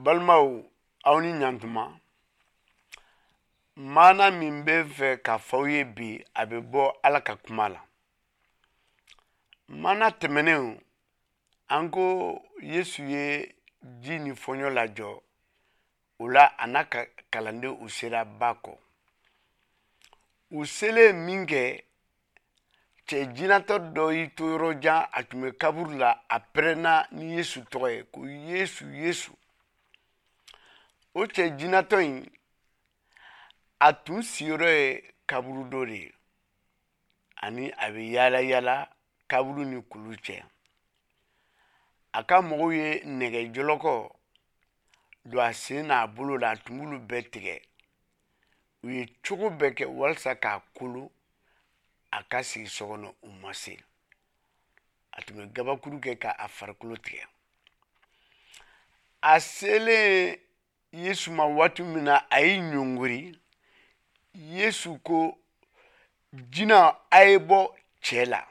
Balimaw, aw ni ɲantuma. Maana min bɛ fɛ k'a fɔ aw ye bi, a bɛ bɔ Ala ka kuma la. Maana tɛmɛnenw, an ko Yesu ye ji ni fɔɲɔ lajɔ. O la, a n'a ka kalandenw, u sera ba kɔ. U selen min kɛ, cɛ jinatɔ dɔ y'i to yɔrɔ jan, a tun bɛ kaburu la, a pɛrɛnna ni Yesu tɔgɔ ye ko: "Yesu, Yesu!" O cɛ jinatɔ in, a tun sigiyɔrɔ ye kaburudo de ye, ani a bɛ yaala yaala kaburu ni kulu cɛ. A ka mɔgɔw ye nɛgɛ jɔlɔkɔ don a sen n'a bolo la, a tun b'olu bɛɛ tigɛ. U ye cogo bɛɛ kɛ walasa k'a kolo a ka sigi so kɔnɔ, u ma se. A tun bɛ gabakuru kɛ k'a farikolo tigɛ. A selen Yesu ma waati min na, a y'i ɲɔngiri. Yesu ko: "Jinɛ, a ye bɔ cɛ la."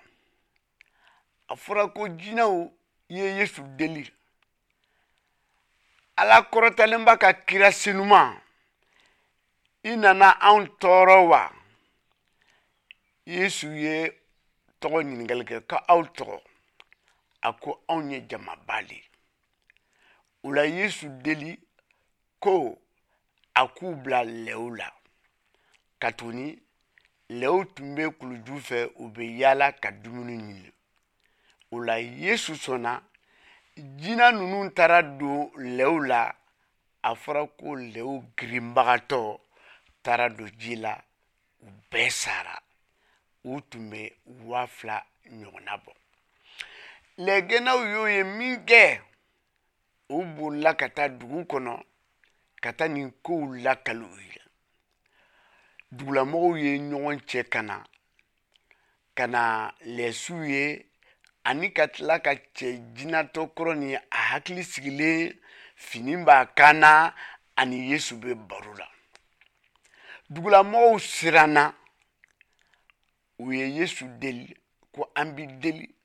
A fɔra ko jinɛw ye Yesu deli: "Ala kɔrɔtalenba ka kira senuma, i nana anw tɔɔrɔ wa?" Yesu ye tɔgɔ ɲininkali kɛ ko: "Aw tɔgɔ?" A ko: "Anw ye jamaba de ye." O la, Yesu deli ko a k'u bila lɛw la, katuguni lɛw tun bɛ kuluju fɛ, u bɛ yaala ka dumuni ɲini. O la, Yesu sɔnna. Jinɛ ninnu taara don lɛw la. A fɔra ko lɛw girinbagatɔ taara don ji la, u bɛɛ sara. U tun bɛ 2000 ɲɔgɔnna bɔ. Lɛgɛnnaw y'o ye min kɛ, u bolila ka taa dugu kɔnɔ ka taa nin kow lakali u ye. Dugulamɔgɔw ye ɲɔgɔn cɛ ka na ka na lɛsiw ye, ani ka tila ka cɛ jinatɔ kɔrɔ ni a hakili sigilen, fini b'a kan na, ani Yesu bɛ baro la. Dugulamɔgɔw siranna. U ye Yesu deli ko: "An b'i deli,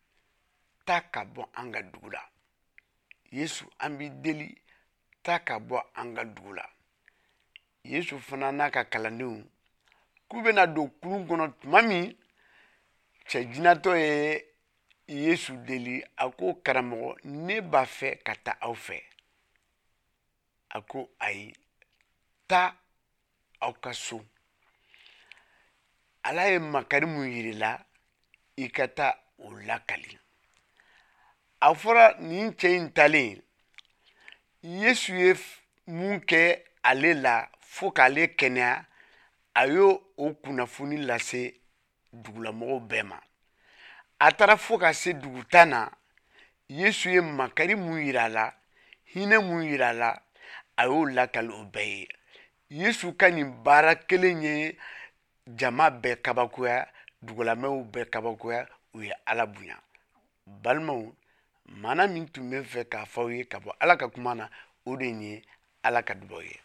taa ka bɔ an ka dugu la. Yesu, an b'i deli, taa ka bɔ an ka dugu la." Yesu fana n'a ka kalandenw k'u bɛna don kulun kɔnɔ tuma min, cɛ jinatɔ ye Yesu deli, a ko: "Karamɔgɔ, ne b'a fɛ ka taa aw fɛ." A ko: "Ayi, taa aw ka so. Ala ye makari mun yir'i la, i ka taa o lakali." A fɔra nin cɛ in talen, Yesu ye mun kɛ ale la fo k'ale kɛnɛya, a y'o o kunnafoni lase dugulamɔgɔw bɛɛ ma. A taara fo ka se dugu tan na. Yesu ye makari mun yira a la, hinɛ mun yira a la, a y'o lakali o bɛɛ ye. Yesu ka nin baara kelen ye jama bɛɛ kabakoya, dugulamɛw bɛɛ kabakoya, u ye Ala bonya. Balimaw, maana min tun bɛ fɛ k'a fɔ aw ye ka bɔ Ala ka kuma na, o de ye. Ala ka dubaw ye.